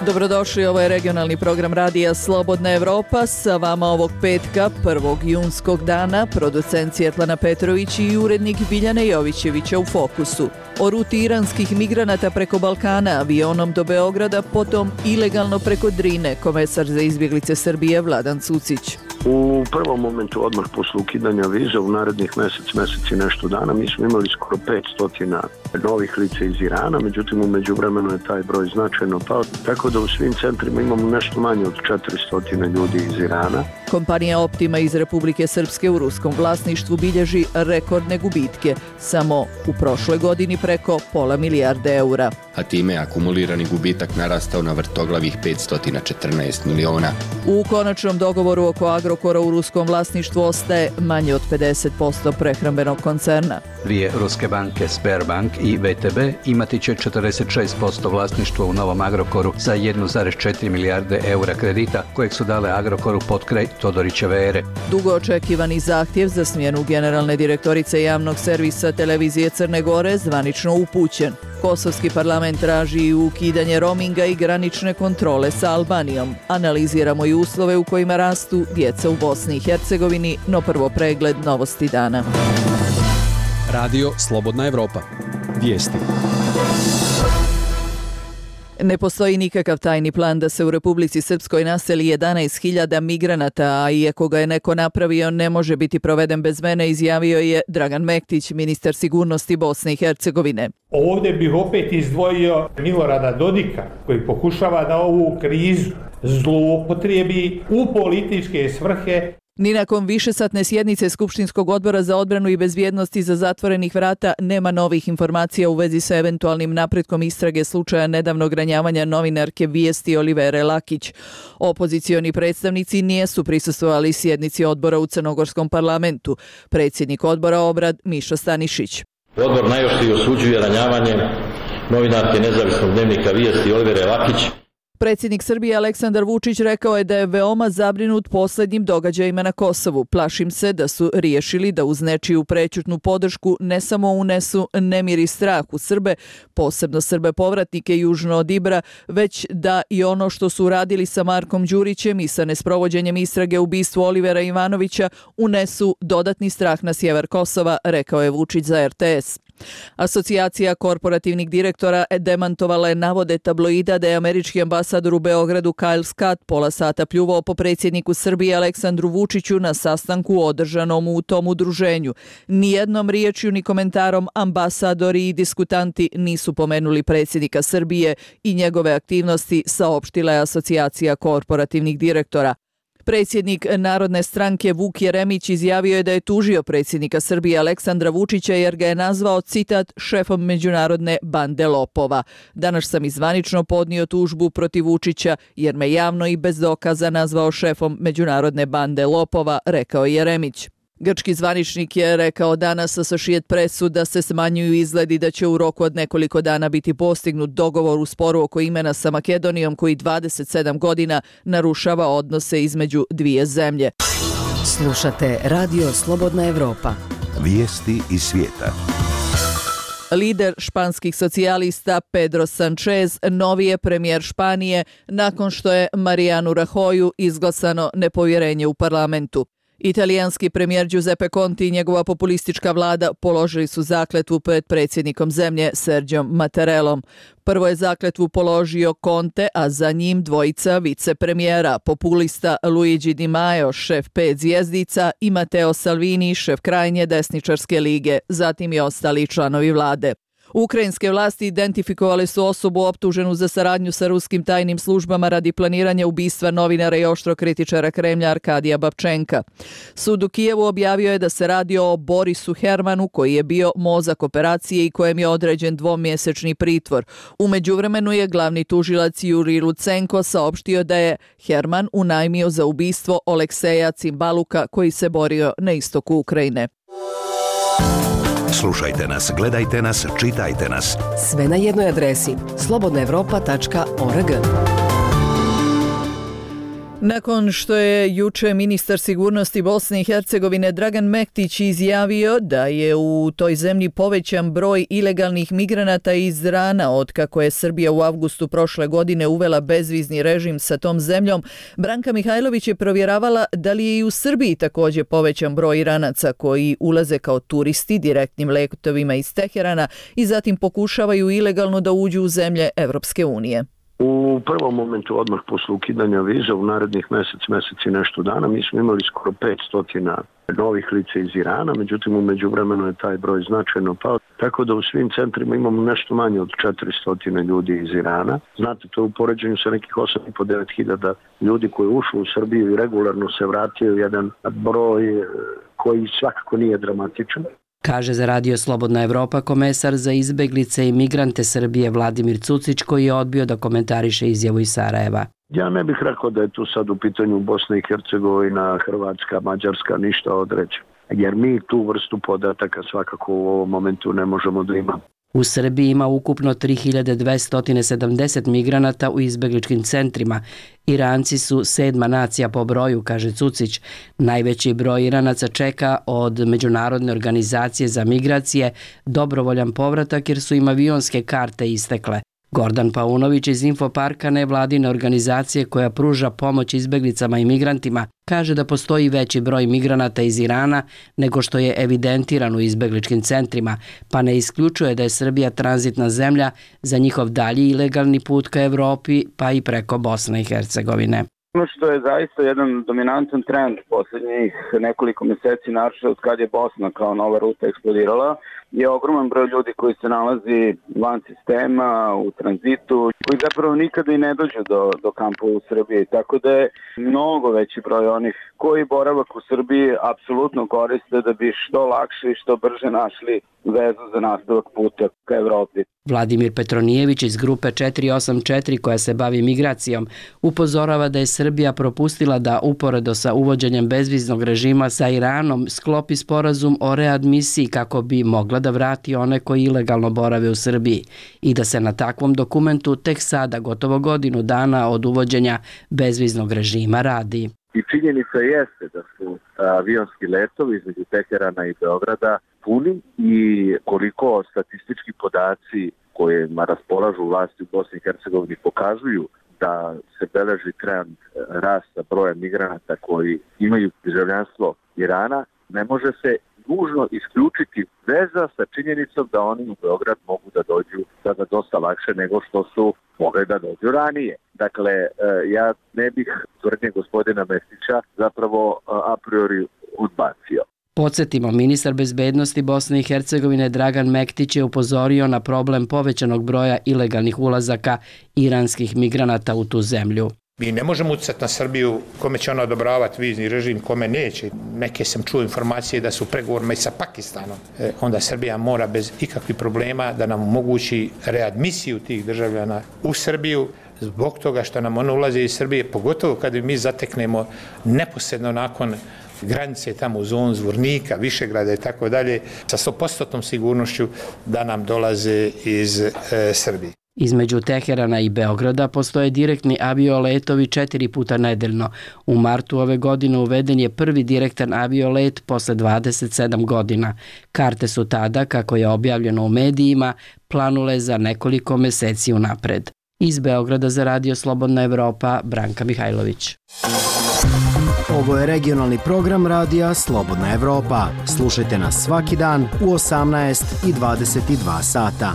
Dobrodošli, ovo je regionalni program radija Slobodna Evropa. Sa vama ovog petka, 1. junskog dana, producent Svjetlana Petrović i urednik Biljana Jovićevića u Fokusu. O ruti iranskih migranata preko Balkana avionom do Beograda, potom ilegalno preko Drine, komesar za izbjeglice Srbije Vladan Cucić. U prvom momentu, odmah posle ukidanja viza, u narednih mesec i nešto dana, mi smo imali skoro 500 novih lica iz Irana, međutim u međuvremenu je taj broj značajno pao, tako da u svim centrima imamo nešto manje od 400 ljudi iz Irana. Kompanija Optima iz Republike Srpske u ruskom vlasništvu bilježi rekordne gubitke, samo u prošloj godini preko pola milijarde eura. A time je akumulirani gubitak narastao na vrtoglavih 514 miliona. U konačnom dogovoru oko Agrokora u ruskom vlasništvu ostaje manje od 50% prehrambenog koncerna. Dvije ruske banke, Sberbank i VTB, imati će 46% vlasništva u novom Agrokoru za 1,4 milijarde eura kredita kojeg su dale Agrokoru pod kraj Todorićeve ere. Dugo očekivani zahtjev za smjenu generalne direktorice javnog servisa televizije Crne Gore zvanično upućen. Kosovski parlament traži i ukidanje roaminga i granične kontrole sa Albanijom. Analiziramo i uslove u kojima rastu djeca u Bosni i Hercegovini, no prvo pregled novosti dana. Radio Slobodna Evropa. Vijesti. Ne postoji nikakav tajni plan da se u Republici Srpskoj naseli 11.000 migranata, a iako ga je neko napravio, ne može biti proveden bez mene, izjavio je Dragan Mektić, ministar sigurnosti Bosne i Hercegovine. Ovdje bih opet izdvojio Milorada Dodika, koji pokušava da ovu krizu zloupotrijebi u političke svrhe. Ni nakon višesatne sjednice Skupštinskog odbora za odbranu i bezbjednost iza zatvorenih vrata nema novih informacija u vezi sa eventualnim napretkom istrage slučaja nedavnog ranjavanja novinarke Vijesti Olivere Lakić. Opozicioni predstavnici nisu prisustvovali sjednici odbora u Crnogorskom parlamentu. Predsjednik odbora Obrad Mišo Stanišić. Odbor najoštrije osuđuje ranjavanje novinarke nezavisnog dnevnika Vijesti Olivere Lakić. Predsjednik Srbije Aleksandar Vučić rekao je da je veoma zabrinut posljednjim događajima na Kosovu. Plašim se da su riješili da uz nečiju prećutnu podršku ne samo unesu nemir i strah u Srbe, posebno Srbe povratnike južno od Ibra, već da i ono što su uradili sa Markom Đurićem i sa nesprovođenjem istrage ubistvu Olivera Ivanovića unesu dodatni strah na sjever Kosova, rekao je Vučić za RTS. Asocijacija korporativnih direktora demantovala je navode tabloida da je američki ambasador u Beogradu Kyle Scott pola sata pljuvao po predsjedniku Srbije Aleksandru Vučiću na sastanku održanom u tom udruženju. Nijednom riječju ni komentarom ambasadori i diskutanti nisu pomenuli predsjednika Srbije i njegove aktivnosti, saopštila je Asocijacija korporativnih direktora. Predsjednik Narodne stranke Vuk Jeremić izjavio je da je tužio predsjednika Srbije Aleksandra Vučića jer ga je nazvao, citat, šefom međunarodne bande lopova. Danas sam i zvanično podnio tužbu protiv Vučića jer me javno i bez dokaza nazvao šefom međunarodne bande lopova, rekao Jeremić. Grčki zvaničnik je rekao danas Associated Pressu da se smanjuju izgledi da će u roku od nekoliko dana biti postignut dogovor u sporu oko imena sa Makedonijom koji 27 godina narušava odnose između dvije zemlje. Slušate Radio Slobodna Evropa. Vijesti iz svijeta. Lider španskih socijalista Pedro Sanchez novi je premijer Španije nakon što je Marianu Rajoyu izglasano nepovjerenje u parlamentu. Italijanski premijer Giuseppe Conte i njegova populistička vlada položili su zakletvu pred predsjednikom zemlje Sergiom Mattarellom. Prvo je zakletvu položio Conte, a za njim dvojica vicepremijera, populista Luigi Di Maio, šef 5 zvjezdica, i Matteo Salvini, šef krajnje desničarske lige, zatim i ostali članovi vlade. Ukrajinske vlasti identifikovali su osobu optuženu za saradnju sa ruskim tajnim službama radi planiranja ubistva novinara i oštro kritičara Kremlja Arkadija Babčenka. Sud u Kijevu objavio je da se radi o Borisu Hermanu, koji je bio mozak operacije i kojem je određen 2-mjesečni pritvor. U međuvremenu je glavni tužilac Jurij Lucenko saopštio da je Herman unajmio za ubistvo Olekseja Cimbaluka, koji se borio na istoku Ukrajine. Slušajte nas, gledajte nas, čitajte nas. Sve na jednoj adresi slobodnaevropa.org. Nakon što je juče ministar sigurnosti Bosne i Hercegovine Dragan Mektić izjavio da je u toj zemlji povećan broj ilegalnih migranata iz Irana otkako je Srbija u avgustu prošle godine uvela bezvizni režim sa tom zemljom, Branka Mihajlović je provjeravala da li je i u Srbiji također povećan broj Iranaca koji ulaze kao turisti direktnim letovima iz Teherana i zatim pokušavaju ilegalno da uđu u zemlje Evropske unije. U prvom momentu odmah posle ukidanja viza u narednih mesec i nešto dana mi smo imali skoro 500 novih lica iz Irana, međutim u međuvremenu je taj broj značajno pao, tako da u svim centrima imamo nešto manje od 400 ljudi iz Irana. Znate, to u poređenju sa nekih 8.500 – 9.000 ljudi koji ušli u Srbiju i regularno se vratio, jedan broj koji svakako nije dramatičan. Kaže za Radio Slobodna Evropa komesar za izbeglice i migrante Srbije Vladimir Cucić, koji je odbio da komentariše izjavu iz Sarajeva. Ja ne bih rekao da je tu sad u pitanju Bosna i Hercegovina, Hrvatska, Mađarska, ništa odreći. Jer mi tu vrstu podataka svakako u ovom momentu ne možemo da imamo. U Srbiji ima ukupno 3270 migranata u izbegličkim centrima. Iranci su 7. nacija po broju, kaže Cucić. Najveći broj Iranaca čeka od Međunarodne organizacije za migracije dobrovoljan povratak jer su im avionske karte istekle. Gordan Paunović iz Infoparka, nevladine organizacije koja pruža pomoć izbeglicama i migrantima, kaže da postoji veći broj migranata iz Irana nego što je evidentiran u izbegličkim centrima, pa ne isključuje da je Srbija tranzitna zemlja za njihov dalji ilegalni put ka Evropi, pa i preko Bosne i Hercegovine. Ono što je zaista jedan dominantan trend posljednjih nekoliko mjeseci, naročito od kad je Bosna kao nova ruta eksplodirala, je ogroman broj ljudi koji se nalazi van sistema, u tranzitu, koji zapravo nikada i ne dođu do kampova u Srbiji. Tako da je mnogo veći broj onih koji boravak u Srbiji apsolutno koriste da bi što lakše i što brže našli vezu za nastavak puta ka Evropi. Vladimir Petronijević iz grupe 484 koja se bavi migracijom upozorava da je Srbija propustila da uporedo sa uvođenjem bezviznog režima sa Iranom sklopi sporazum o readmisiji kako bi mogla da vrati one koji ilegalno borave u Srbiji i da se na takvom dokumentu tek sada, gotovo godinu dana od uvođenja bezviznog režima, radi. I činjenica jeste da su avionski letovi između Teherana i Beograda puni i koliko statistički podaci kojima raspolažu vlasti u Bosni i Hercegovini pokazuju da se beleži trend rasta broja migranata koji imaju državljanstvo Irana, ne može se nužno isključiti veza sa činjenicom da oni u Beograd mogu da dođu sada dosta lakše nego što su mogli da dođu ranije. Dakle, ja ne bih tvrdnje gospodina Mektića zapravo a priori odbacio. Podsjetimo, ministar bezbednosti Bosne i Hercegovine Dragan Mektić je upozorio na problem povećanog broja ilegalnih ulazaka iranskih migranata u tu zemlju. Mi ne možemo utjecati na Srbiju kome će ona odobravati vizni režim, kome neće. Neke sam čuo informacije da su pregovorima i sa Pakistanom. Onda Srbija mora bez ikakvih problema da nam omogući readmisiju tih državljana u Srbiju zbog toga što nam ono ulaze iz Srbije, pogotovo kad mi zateknemo neposredno nakon granice tamo u zonu Zvornika, Višegrada i tako dalje, sa 100% sigurnošću da nam dolaze iz Srbije. Između Teherana i Beograda postoje direktni avioletovi 4 puta nedeljno. U martu ove godine uveden je prvi direktan aviolet posle 27 godina. Karte su tada, kako je objavljeno u medijima, planule za nekoliko meseci unapred. Iz Beograda za Radio Slobodna Evropa, Branka Mihajlović. Ovo je regionalni program Radija Slobodna Evropa. Slušajte nas svaki dan u 18 i 22 sata.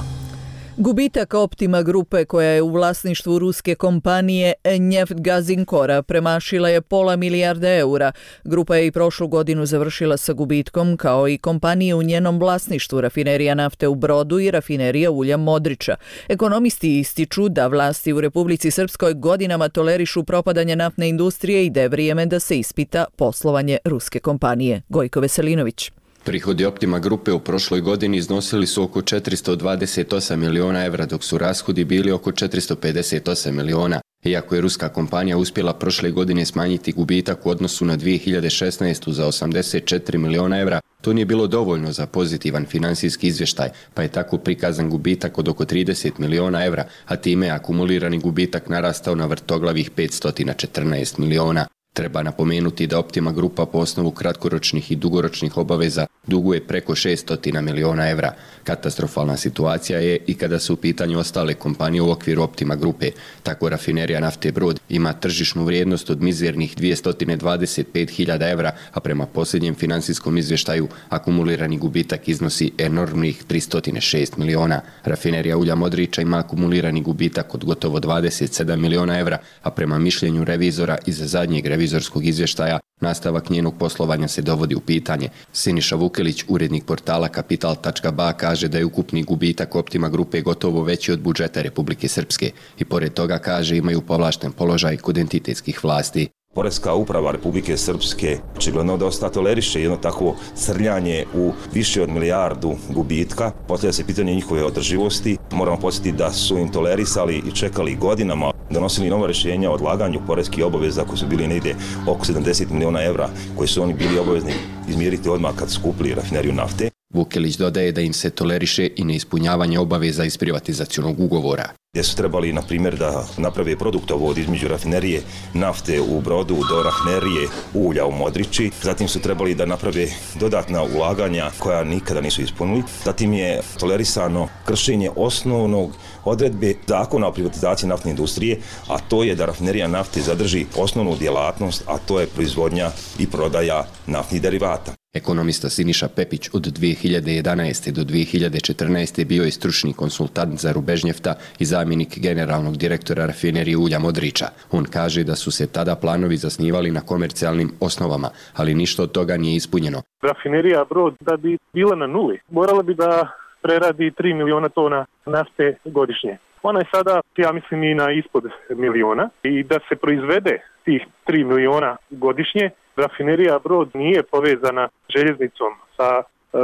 Gubitak Optima grupe koja je u vlasništvu ruske kompanije Neftgazinkora premašila je $500 milijarde eura. Grupa je i prošlu godinu završila sa gubitkom kao i kompanije u njenom vlasništvu rafinerija nafte u Brodu i rafinerija ulja Modriča. Ekonomisti ističu da vlasti u Republici Srpskoj godinama tolerišu propadanje naftne industrije i da je vrijeme da se ispita poslovanje ruske kompanije. Gojko Veselinović. Prihodi Optima grupe u prošloj godini iznosili su oko 428 miliona evra, dok su rashodi bili oko 458 miliona. Iako je ruska kompanija uspjela prošle godine smanjiti gubitak u odnosu na 2016. za 84 miliona evra, To nije bilo dovoljno za pozitivan financijski izvještaj, pa je tako prikazan gubitak od oko 30 miliona evra, a time je akumulirani gubitak narastao na vrtoglavih 514 miliona. Treba napomenuti da Optima grupa po osnovu kratkoročnih i dugoročnih obaveza duguje preko 600 miliona evra. Katastrofalna situacija je i kada su u pitanju ostale kompanije u okviru Optima grupe. Tako rafinerija nafte Brod ima tržišnu vrijednost od mizernih 225.000 evra, a prema posljednjem financijskom izvještaju akumulirani gubitak iznosi enormnih 306 miliona. Rafinerija ulja Modriča ima akumulirani gubitak od gotovo 27 miliona evra, a prema mišljenju revizora iz zadnjeg revizorskog izvještaja nastavak njenog poslovanja se dovodi u pitanje. Siniša Vukelić, urednik portala Kapital.ba, kaže da je ukupni gubitak Optima grupe gotovo veći od budžeta Republike Srpske i pored toga kaže imaju povlašten položaj kod entitetskih vlasti. Poreska uprava Republike Srpske očigledno dosta toleriše jedno takvo srljanje u više od milijardu gubitka. Postavlja se pitanje njihove održivosti. Moramo podsjetiti da su im tolerisali i čekali godinama, donosili nova rješenja o odlaganju poreskih obaveza koji su bili negdje oko 70 miliona evra, koji su oni bili obavezni izmiriti odmah kad su kupili rafineriju nafte. Vukelić dodaje da im se toleriše i neispunjavanje obaveza iz privatizacionog ugovora. Gdje su trebali, na primjer, da naprave produktovod između rafinerije nafte u Brodu do rafinerije ulja u Modriči. Zatim su trebali da naprave dodatna ulaganja koja nikada nisu ispunili. Zatim je tolerisano kršenje osnovnog odredbe zakona o privatizaciji naftne industrije, a to je da rafinerija nafte zadrži osnovnu djelatnost, a to je proizvodnja i prodaja naftnih derivata. Ekonomista Siniša Pepić od 2011. do 2014. bio je stručni konsultant za Rubežnjefta i zamjenik generalnog direktora rafinerije ulja Modriča. On kaže da su se tada planovi zasnivali na komercijalnim osnovama, ali ništa od toga nije ispunjeno. Rafinerija Brod, da bi bila na nuli, morala bi da preradi 3 miliona tona nafte godišnje. Ona je sada, ja mislim, i na ispod miliona i da se proizvede tih 3 miliona godišnje, rafinerija Brod nije povezana željeznicom sa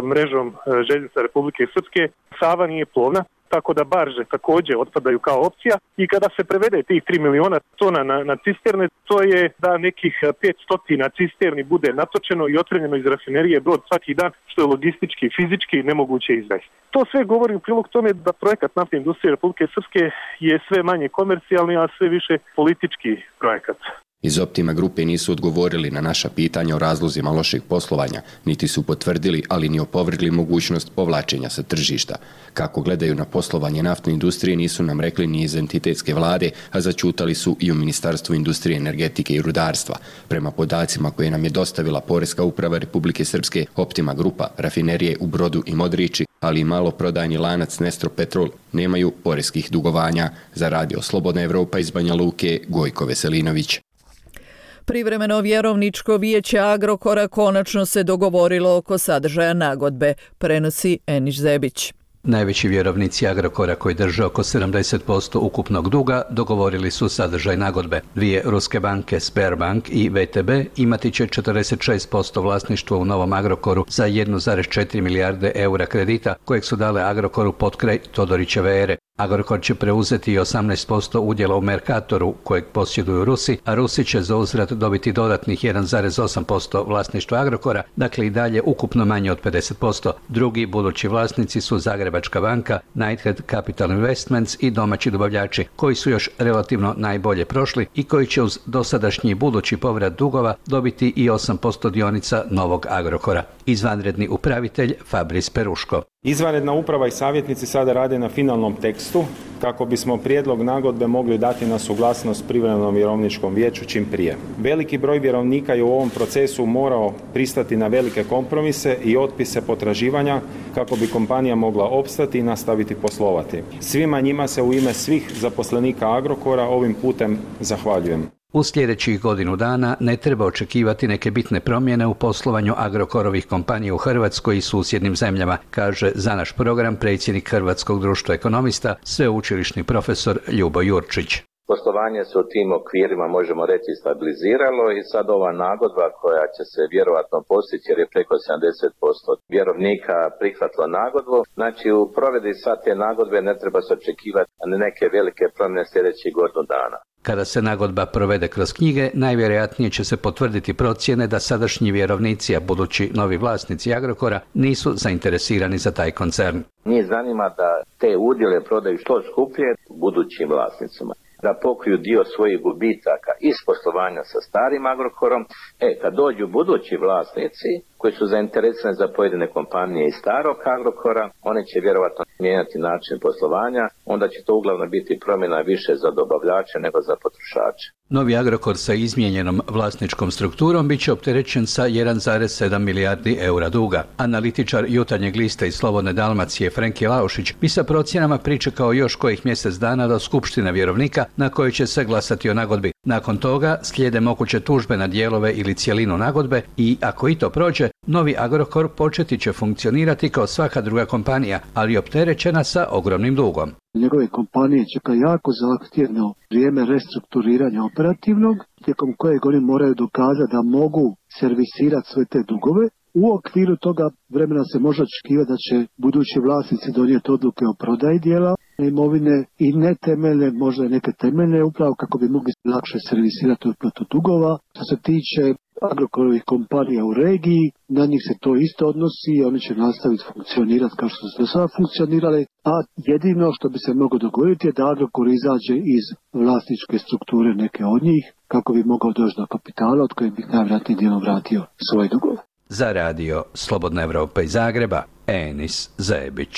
mrežom željeznica Republike Srpske, Sava nije plovna, tako da barže također otpadaju kao opcija i kada se prevede tih 3 miliona tona na cisterne, to je da nekih 500 cisterni bude natočeno i otpremljeno iz rafinerije Brod svaki dan, što je logistički i fizički nemoguće izvesti. To sve govori u prilog tome da projekat naftne industrije Republike Srpske je sve manje komercijalni, a sve više politički projekat. Iz Optima grupe nisu odgovorili na naša pitanja o razlozima lošeg poslovanja, niti su potvrdili, ali ni opovrgli mogućnost povlačenja sa tržišta. Kako gledaju na poslovanje naftne industrije nisu nam rekli ni iz entitetske vlade, a zaćutali su i u Ministarstvu industrije, energetike i rudarstva. Prema podacima koje nam je dostavila Poreska uprava Republike Srpske, Optima grupa, rafinerije u Brodu i Modriči, ali i maloprodajni lanac Nestro Petrol nemaju poreskih dugovanja. Za Radio Slobodna Evropa iz Banja Luke, Gojko Veselinović. Privremeno vjerovničko vijeće Agrokora konačno se dogovorilo oko sadržaja nagodbe, prenosi Eniš Zebić. Najveći vjerovnici Agrokora koji drže oko 70% ukupnog duga dogovorili su sadržaj nagodbe. Dvije ruske banke, Sberbank i VTB, imati će 46% vlasništva u novom Agrokoru za 1,4 milijarde eura kredita kojeg su dale Agrokoru potkraj Todorićeve ere. Agrokor će preuzeti i 18% udjela u Mercatoru kojeg posjeduju Rusi, a Rusi će za uzvrat dobiti dodatnih 1,8% vlasništva Agrokora, dakle i dalje ukupno manje od 50%. Drugi budući vlasnici su Zagrebačka banka, Knighthead Capital Investments i domaći dobavljači, koji su još relativno najbolje prošli i koji će uz dosadašnji budući povrat dugova dobiti i 8% dionica novog Agrokora. Izvanredni upravitelj Fabris Peruško. Izvanredna uprava i savjetnici sada rade na finalnom tekstu kako bismo prijedlog nagodbe mogli dati na suglasnost privremenom vjerovničkom vijeću čim prije. Veliki broj vjerovnika je u ovom procesu morao pristati na velike kompromise i otpise potraživanja kako bi kompanija mogla opstati i nastaviti poslovati. Svima njima se u ime svih zaposlenika Agrokora ovim putem zahvaljujem. U sljedećih godinu dana ne treba očekivati neke bitne promjene u poslovanju Agrokorovih kompanija u Hrvatskoj i susjednim zemljama, kaže za naš program predsjednik Hrvatskog društva ekonomista, sveučilišni profesor Ljubo Jurčić. Poslovanje se u tim okvirima, možemo reći, stabiliziralo i sad ova nagodba koja će se vjerovatno postići jer je preko 70% vjerovnika prihvatilo nagodbu. Znači u provedbi sad te nagodbe ne treba se očekivati neke velike promjene sljedećih godinu dana. Kada se nagodba provede kroz knjige, najvjerojatnije će se potvrditi procjene da sadašnji vjerovnici, a budući novi vlasnici Agrokora, nisu zainteresirani za taj koncern. Njih zanima da te udjele prodaju što skuplje budućim vlasnicima, da pokriju dio svojih gubitaka iz poslovanja sa starim Agrokorom. Kad dođu budući vlasnici koji su zainteresirani za pojedine kompanije iz starog Agrokora, oni će vjerovatno mijenjati način poslovanja, onda će to uglavnom biti promjena više za dobavljače nego za potrošače. Novi Agrokor sa izmijenjenom vlasničkom strukturom bit će opterećen sa 1,7 milijardi eura duga. Analitičar Jutarnjeg lista iz Slobodne Dalmacije Frenki Laušić bi sa procjenama pričekao još kojih mjesec dana do skupštine vjerovnika na kojoj će se glasati o nagodbi. Nakon toga slijede moguće tužbe na dijelove ili cjelinu nagodbe i, ako i to prođe, novi Agrokor početi će funkcionirati kao svaka druga kompanija, ali opterećena sa ogromnim dugom. Njegove kompanije čeka jako zahtjevno vrijeme restrukturiranja operativnog, tijekom kojeg oni moraju dokazati da mogu servisirati sve te dugove. U okviru toga vremena se može očekivati da će budući vlasnici donijeti odluke o prodaji dijela imovine i ne temeljne, možda i neke temeljne, upravo kako bi mogli lakše servisirati otplatu dugova. Što se tiče Agrokorovih kompanija u regiji, na njih se to isto odnosi i oni će nastaviti funkcionirati kao što su do sada funkcionirali, a jedino što bi se moglo dogoditi je da Agrokor izađe iz vlasničke strukture neke od njih, kako bi mogao doći do kapitala od kojeg bi najvjerojatnije dijelom vratio svoje dugove. Za radio Slobodna Evropa iz Zagreba, Enis Zebić.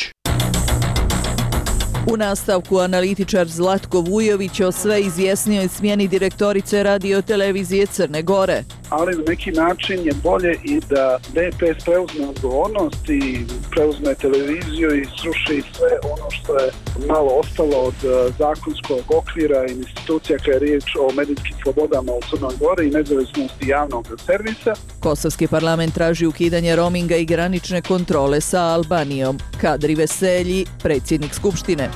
U nastavku analitičar Zlatko Vujović o sve izjasnijoj smjeni direktorice Radio-televizije Crne Gore. Ali na neki način je bolje i da DPS preuzme odgovornost i preuzme televiziju i sruši sve ono što je malo ostalo od zakonskog okvira i institucija kada je riječ o medijskim slobodama u Crnoj Gori i nezavisnosti javnog servisa. Kosovski parlament traži ukidanje roaminga i granične kontrole sa Albanijom. Kadri Veselji, predsjednik Skupštine.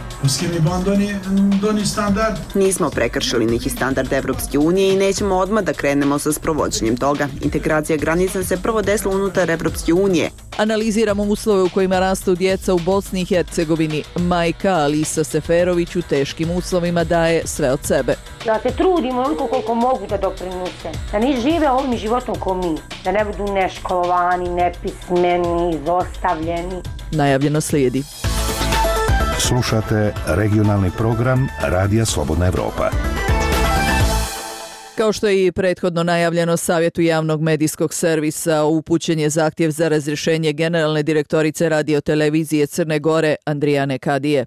Nismo prekršili neki standard Evropske unije i nećemo odmah da krenemo sa sprovođenjem toga. Integracija granica se prvo desila unutar Evropske unije. Analiziramo uslove u kojima rastu djeca u Bosni i Hercegovini. Majka Alisa Seferović u teškim uslovima daje sve od sebe. Da se trudimo onoliko koliko mogu da doprinose. Da ne žive ovim životom ko mi. Da ne budu neškolovani, nepismeni, izostavljeni. Najavljeno slijedi. Slušate regionalni program Radija Slobodna Evropa. Kao što je i prethodno najavljeno, Savjetu javnog medijskog servisa upućen je zahtjev za razrješenje generalne direktorice Radio-televizije Crne Gore Andrijane Kadije.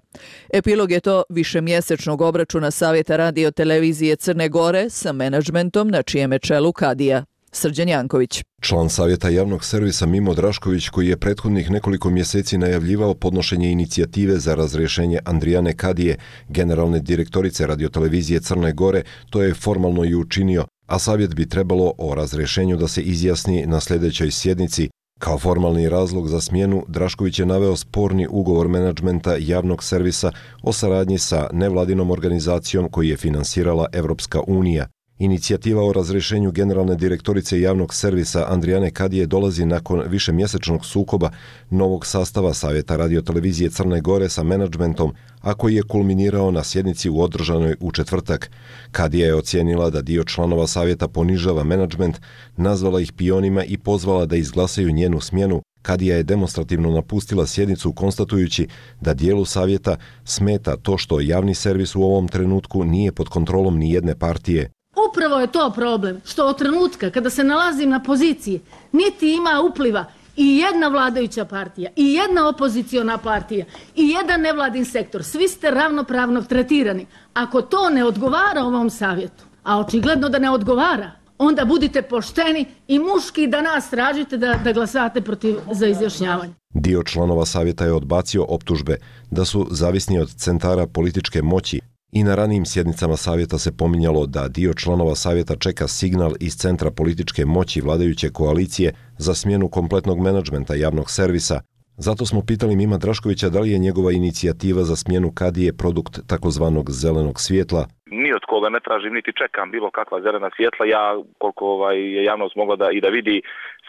Epilog je to višemjesečnog obračuna Savjeta Radio-televizije Crne Gore sa menadžmentom na čijem je čelu Kadija. Srđan Janković. Član Savjeta javnog servisa Mimo Drašković, koji je prethodnih nekoliko mjeseci najavljivao podnošenje inicijative za razrješenje Andrijane Kadije, generalne direktorice Radio-televizije Crne Gore, to je formalno i učinio, a savjet bi trebalo o razrješenju da se izjasni na sljedećoj sjednici. Kao formalni razlog za smjenu, Drašković je naveo sporni ugovor menadžmenta javnog servisa o saradnji sa nevladinom organizacijom koju je finansirala Evropska unija. Inicijativa o razrješenju generalne direktorice javnog servisa Andrijane Kadije dolazi nakon višemjesečnog sukoba novog sastava Savjeta Radio-televizije Crne Gore sa menadžmentom, a koji je kulminirao na sjednici u održanoj u četvrtak. Kadija je ocijenila da dio članova savjeta ponižava menadžment, nazvala ih pionima i pozvala da izglasaju njenu smjenu. Kadija je demonstrativno napustila sjednicu konstatujući da dijelu savjeta smeta to što javni servis u ovom trenutku nije pod kontrolom ni jedne partije. Upravo je to problem, što od trenutka kada se nalazim na poziciji, niti ima upliva i jedna vladajuća partija, i jedna opoziciona partija, i jedan nevladin sektor. Svi ste ravnopravno tretirani. Ako to ne odgovara ovom savjetu, a očigledno da ne odgovara, onda budite pošteni i muški da nas tražite da glasate protiv za izjašnjavanje. Dio članova savjeta je odbacio optužbe da su zavisni od centara političke moći. I na ranijim sjednicama savjeta se pominjalo da dio članova savjeta čeka signal iz centra političke moći vladajuće koalicije za smjenu kompletnog menadžmenta javnog servisa. Zato smo pitali Mima Draškovića da li je njegova inicijativa za smjenu Kadije produkt takozvanog zelenog svjetla. Ni od koga ne tražim niti čekam bilo kakva zelena svjetla. Ja, koliko je javnost mogla da vidi,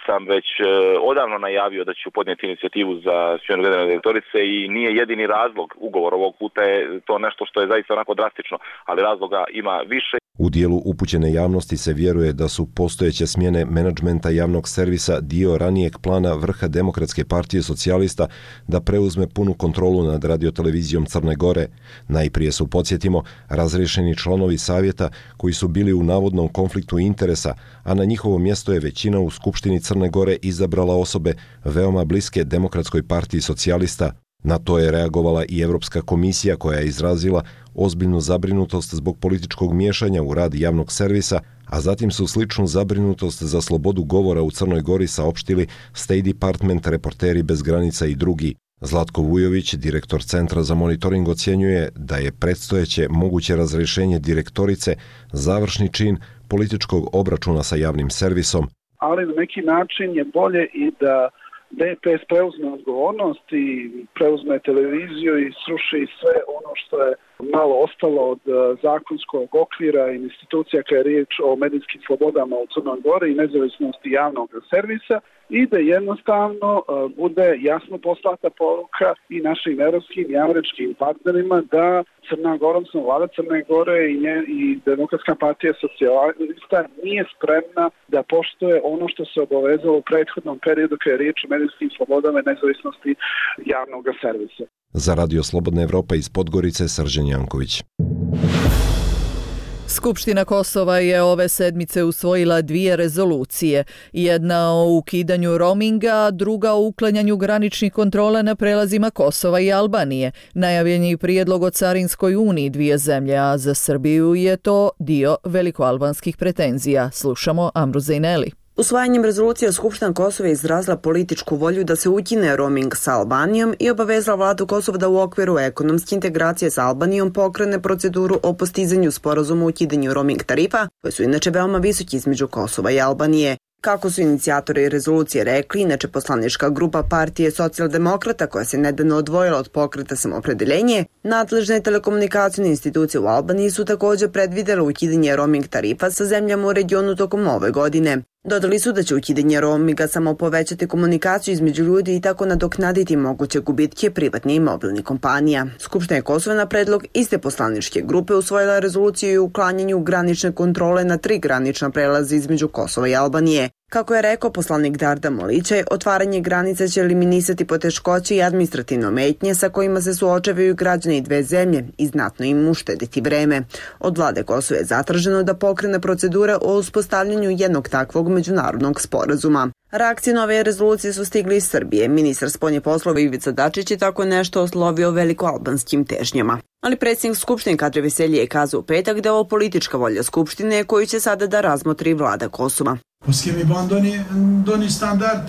sam već odavno najavio da ću podnijeti inicijativu za smjenu generalne direktorice i nije jedini razlog. Ugovor ovog puta je to nešto što je zaista onako drastično, ali razloga ima više. U dijelu upućene javnosti se vjeruje da su postojeće smjene menadžmenta javnog servisa dio ranijeg plana vrha Demokratske partije socijalista da preuzme punu kontrolu nad radiotelevizijom Crne Gore. Najprije su, podsjetimo, razriješeni članovi savjeta koji su bili u navodnom konfliktu interesa, a na njihovo mjesto je većina u Skupštini Crne Gore izabrala osobe veoma bliske Demokratskoj partiji socijalista. Na to je reagovala i Europska komisija koja je izrazila ozbiljnu zabrinutost zbog političkog miješanja u rad javnog servisa, a zatim su sličnu zabrinutost za slobodu govora u Crnoj Gori saopštili State Department, Reporteri bez granica i drugi. Zlatko Vujović, direktor Centra za monitoring, ocjenjuje da je predstojeće moguće razrješenje direktorice završni čin političkog obračuna sa javnim servisom. Ali na neki način je bolje i da DPS preuzme odgovornost i preuzme televiziju i sruši sve ono što je malo ostalo od zakonskog okvira i institucija kada je riječ o medijskim slobodama u Crnoj Gori i nezavisnosti javnog servisa i da jednostavno bude jasno poslata poruka i našim europskim i američkim partnerima da Crna Gora, odnosno vlada Crne Gore i Demokratska partija socijalista nije spremna da poštuje ono što se obavezalo u prethodnom periodu kada je riječ o medijskim slobodama i nezavisnosti javnog servisa. Za Radio Slobodna Evropa iz Podgorice, Srđan Janković. Skupština Kosova je ove sedmice usvojila 2 rezolucije. Jedna o ukidanju roaminga, druga o uklanjanju graničnih kontrola na prelazima Kosova i Albanije. Najavljen je prijedlog o carinskoj uniji 2 zemlje, a za Srbiju je to dio velikoalbanskih pretenzija. Slušamo Amru Zejneli. Usvajanjem rezolucije Skupština Kosova je izrazila političku volju da se ukine roaming sa Albanijom i obavezala vladu Kosova da u okviru ekonomske integracije sa Albanijom pokrene proceduru o postizanju sporazuma o ukidanju roaming tarifa, koje su inače veoma visoki između Kosova i Albanije. Kako su inicijatori rezolucije rekli, inače poslanička grupa partije socijaldemokrata koja se nedavno odvojila od pokreta Samoopredeljenje, nadležne telekomunikacijne institucije u Albaniji su također predvidjele ukidanje roaming tarifa sa zemljama u regionu tokom ove godine. Dodali su da će ukidanje roaminga samo povećati komunikaciju između ljudi i tako nadoknaditi moguće gubitke privatnih i mobilnih kompanija. Skupština Kosova na predlog iste poslaničke grupe usvojila rezoluciju o uklanjanju granične kontrole na 3 granična prelaza između Kosova i Albanije. Kako je rekao poslanik Darda Molićaj, otvaranje granica će eliminisati poteškoće i administrativno metnje sa kojima se suočavaju građani 2 zemlje i znatno im uštediti vreme. Od vlade Kosova je zatraženo da pokrene procedure o uspostavljanju jednog takvog međunarodnog sporazuma. Reakcije na ove rezolucije su stigli iz Srbije. Ministar spoljnih poslova Ivica Dačić je tako nešto oslovio velikoalbanskim težnjama. Ali predsjednik Skupštine Kadri Veselji je kazao u petak da je ovo politička volja Skupštine koju će sada da razmotri vlada Kosova.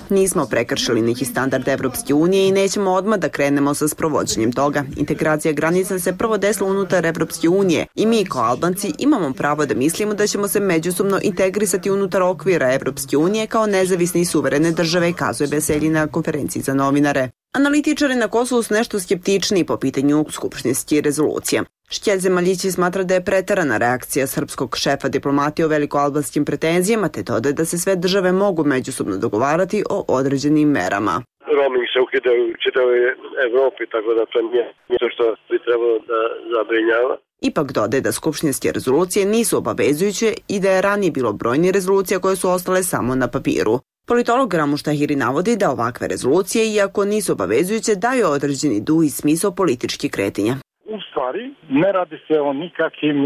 Nismo prekršili neki standard Evropske unije i nećemo odmah da krenemo sa sprovođenjem toga. Integracija granica se prvo desila unutar Evropske unije i mi kao Albanci imamo pravo da mislimo da ćemo se međusobno integrisati unutar okvira Evropske unije kao nezavisne i suverene države, kazuje Veselji na konferenciji za novinare. Analitičari na Kosovu su nešto skeptični po pitanju skupštinskih rezolucija. Šćelj Maljići smatra da je preterana reakcija srpskog šefa diplomatije o velikoalbanskim pretenzijama, te dodaje da se sve države mogu međusobno dogovarati o određenim merama. Roaming se ukida u čitavoj Evropi, tako da to nije nešto što bi trebalo da zabrinjava. Ipak dodaje da skupštinske rezolucije nisu obavezujuće i da je ranije bilo brojni rezolucija koje su ostale samo na papiru. Politolog Ramuš Tahiri navodi da ovakve rezolucije, iako nisu obavezujuće, daju određeni duh i smisao političkih kretanja. U stvari, ne radi se o nikakvim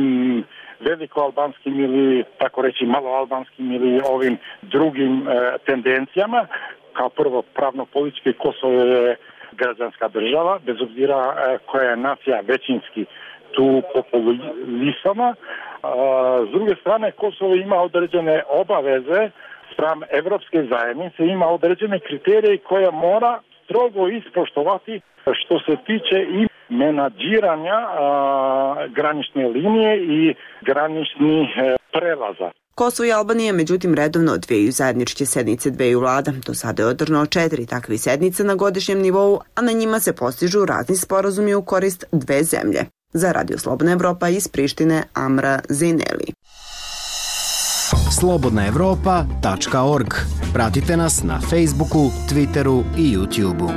velikoalbanskim ili tako reći maloalbanskim ili ovim drugim tendencijama. Kao prvo, pravno-politički Kosovo je građanska država, bez obzira koja je nacija većinski tu populisama. S druge strane, Kosovo ima određene obaveze spram Evropske zajednice, ima određene kriterije koje mora strogo ispoštovati što se tiče i menadžiranja granične linije i graničnih prelaza. Kosovo i Albanija međutim redovno odvijaju zajedničke sednice 2 vlada. Do sada je održano 4 takve sednice na godišnjem nivou, a na njima se postižu razni sporazumi u korist 2 zemlje. Za Radio Slobodna Evropa iz Prištine, Amra Zejneli. slobodnaevropa.org Pratite nas na Facebooku, Twitteru i YouTubeu.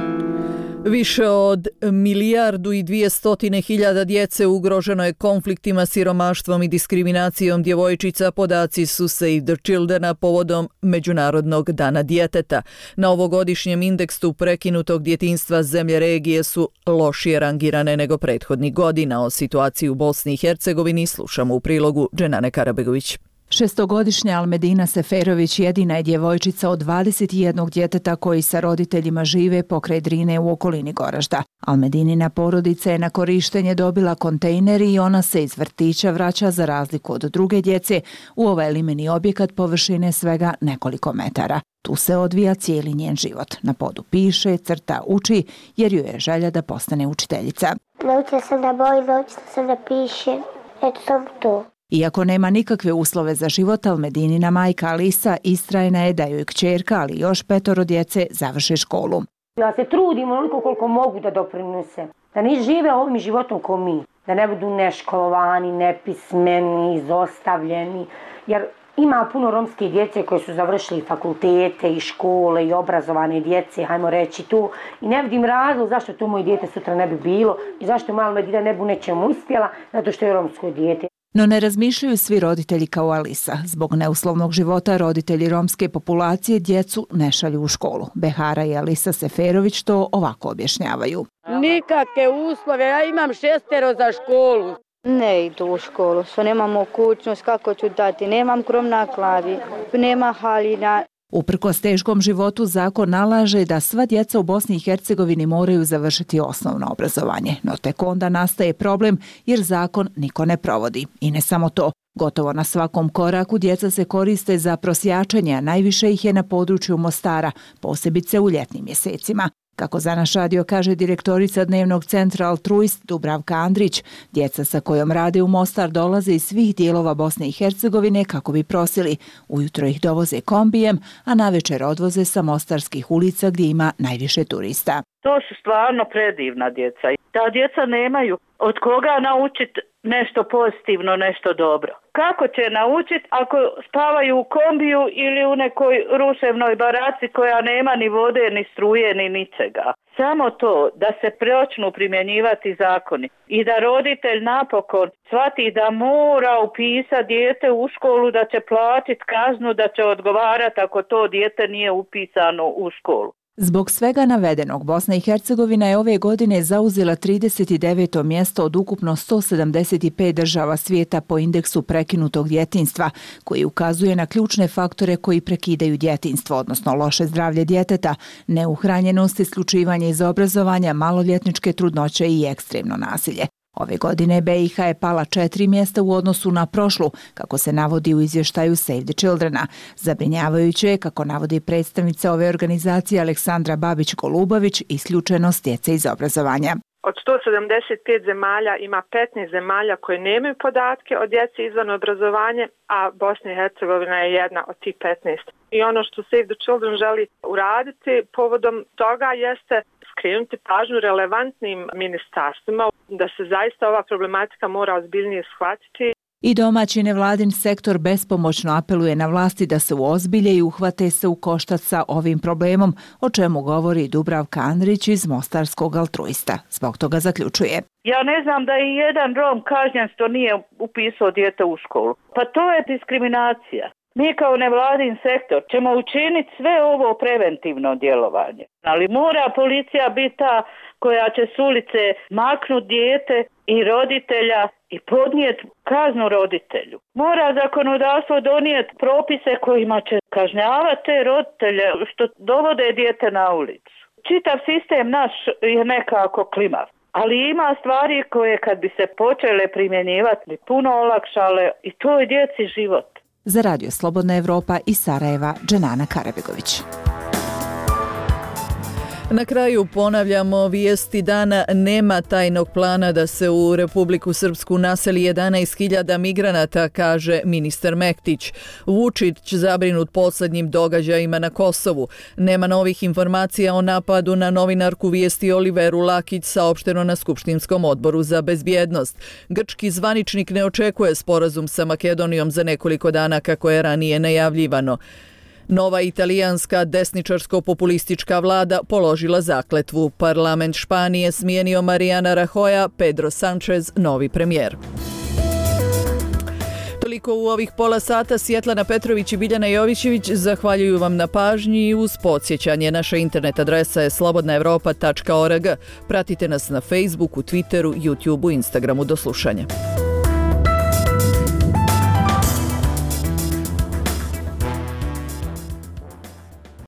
Više od 1.200.000 djece ugroženo je konfliktima, siromaštvom i diskriminacijom djevojčica, podaci su Save the Childrena povodom Međunarodnog dana djeteta. Na ovogodišnjem indeksu prekinutog djetinjstva zemlje regije su lošije rangirane nego prethodnih godina. O situaciji u Bosni i Hercegovini slušamo u prilogu Dženane Karabegović. 6-godišnja Almedina Seferović jedina je djevojčica od 21 djeteta koji sa roditeljima žive pokraj Drine u okolini Goražda. Almedinina porodica je na korištenje dobila kontejner i ona se iz vrtića vraća za razliku od druge djece u ovaj limeni objekat površine svega nekoliko metara. Tu se odvija cijeli njen život. Na podu piše, crta, uči jer joj je želja da postane učiteljica. Naučila sam da bojim, naučila sam da pišem. Eto sam to. Iako nema nikakve uslove za život, Almedinina majka Alisa istrajna je da joj kćerka, ali još 5 djece završe školu. Ja se trudim onoliko koliko mogu da doprinesem. Da ne žive ovim životom ko mi. Da ne budu neškolovani, nepismeni, izostavljeni. Jer ima puno romske djece koje su završili fakultete i škole i obrazovane djece, hajmo reći tu. I ne vidim razlog zašto to moje dijete sutra ne bi bilo i zašto mala Almedina ne bi nečemu uspjela, zato što je romsko dijete. No ne razmišljaju svi roditelji kao Alisa. Zbog neuslovnog života roditelji romske populacije djecu ne šalju u školu. Behara i Alisa Seferović to ovako objašnjavaju. Nikakve uslove, ja imam 6 za školu. Ne idu u školu, što nemam mogućnost, kako ću dati, nemam krov na glavi, nema haljina. Uprkos teškom životu zakon nalaže da sva djeca u Bosni i Hercegovini moraju završiti osnovno obrazovanje, no tek onda nastaje problem jer zakon niko ne provodi. I ne samo to, gotovo na svakom koraku djeca se koriste za prosjačenje, a najviše ih je na području Mostara, posebice u ljetnim mjesecima. Kako za naš radio kaže direktorica dnevnog centra Altruist Dubravka Andrić, djeca sa kojom rade u Mostar dolaze iz svih dijelova Bosne i Hercegovine kako bi prosili. Ujutro ih dovoze kombijem, a navečer odvoze sa mostarskih ulica gdje ima najviše turista. To su stvarno predivna djeca. Ta djeca nemaju od koga naučiti nešto pozitivno, nešto dobro. Kako će naučiti ako spavaju u kombiju ili u nekoj ruševnoj baraci koja nema ni vode, ni struje, ni ničega? Samo to da se počnu primjenjivati zakoni i da roditelj napokon shvati da mora upisati dijete u školu, da će platiti kaznu, da će odgovarati ako to dijete nije upisano u školu. Zbog svega navedenog, Bosna i Hercegovina je ove godine zauzela 39. mjesto od ukupno 175 država svijeta po indeksu prekinutog djetinjstva, koji ukazuje na ključne faktore koji prekidaju djetinjstvo, odnosno loše zdravlje djeteta, neuhranjenost, isključivanje iz obrazovanja, maloljetničke trudnoće i ekstremno nasilje. Ove godine BiH je pala 4 mjesta u odnosu na prošlu, kako se navodi u izvještaju Save the Childrena. Zabrinjavajuće je, kako navodi predstavnica ove organizacije Aleksandra Babić-Golubović, isključenost djece iz obrazovanja. Od 175 zemalja ima 15 zemalja koje nemaju podatke o djeci izvan obrazovanja, a Bosna i Hercegovina je jedna od tih 15. I ono što Save the Children želi uraditi povodom toga jeste skrenuti pažnju relevantnim ministarstvima da se zaista ova problematika mora ozbiljnije shvatiti. I domaći nevladin sektor bespomoćno apeluje na vlasti da se uozbilje i uhvate se u koštac sa ovim problemom, o čemu govori Dubravka Andrić iz Mostarskog Altruista. Zbog toga zaključuje. Ja ne znam da je jedan Rom kažnjen što nije upisao dijete u školu. Pa to je diskriminacija. Mi kao nevladin sektor ćemo učiniti sve ovo preventivno djelovanje. Ali mora policija biti ta koja će s ulice maknuti dijete i roditelja i podnijeti kaznu roditelju. Mora zakonodavstvo donijeti propise kojima će kažnjavati te roditelje što dovode dijete na ulicu. Čitav sistem naš je nekako klimav. Ali ima stvari koje kad bi se počele primjenjivati bi puno olakšale i to je djeci život. Za Radio Slobodna Evropa iz Sarajeva, Dženana Karabegović. Na kraju ponavljamo vijesti dana. Nema tajnog plana da se u Republiku Srpsku naseli 11.000 migranata, kaže ministar Mektić. Vučić zabrinut posljednjim događajima na Kosovu. Nema novih informacija o napadu na novinarku vijesti Oliveru Lakić, saopšteno na Skupštinskom odboru za bezbjednost. Grčki zvaničnik ne očekuje sporazum sa Makedonijom za nekoliko dana kako je ranije najavljivano. Nova italijanska desničarsko-populistička vlada položila zakletvu. Parlament Španije smijenio Mariana Rajoya, Pedro Sanchez novi premijer. Toliko u ovih pola sata. Svjetlana Petrović i Biljana Jovićević zahvaljuju vam na pažnji i uz podsjećanje. Naša internet adresa je slobodnaevropa.org. Pratite nas na Facebooku, Twitteru, YouTubeu, Instagramu. Do slušanja.